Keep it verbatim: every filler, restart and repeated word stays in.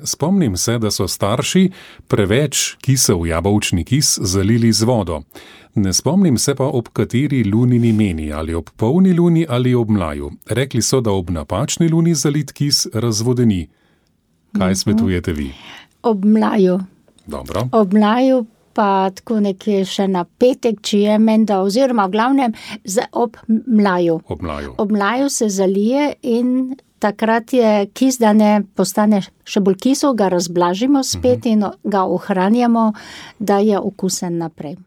Spomnim se, da so starši preveč kisel jabolčni kis zalili z vodo. Ne spomnim se pa, ob kateri lunini meni, ali ob polni luni ali ob mlaju. Rekli so, da ob napačni luni zalit kis razvodeni. Kaj svetujete vi? Ob mlaju. Dobro. Ob mlaju pa tako nekje še na petek, če je menda, oziroma v glavnem za, ob mlaju. Ob mlaju. Ob mlaju se zalije in takrat je kis, da ne postane še bolj kisel, ga razblažimo spet uh-huh. in ga ohranjamo, da je okusen naprej.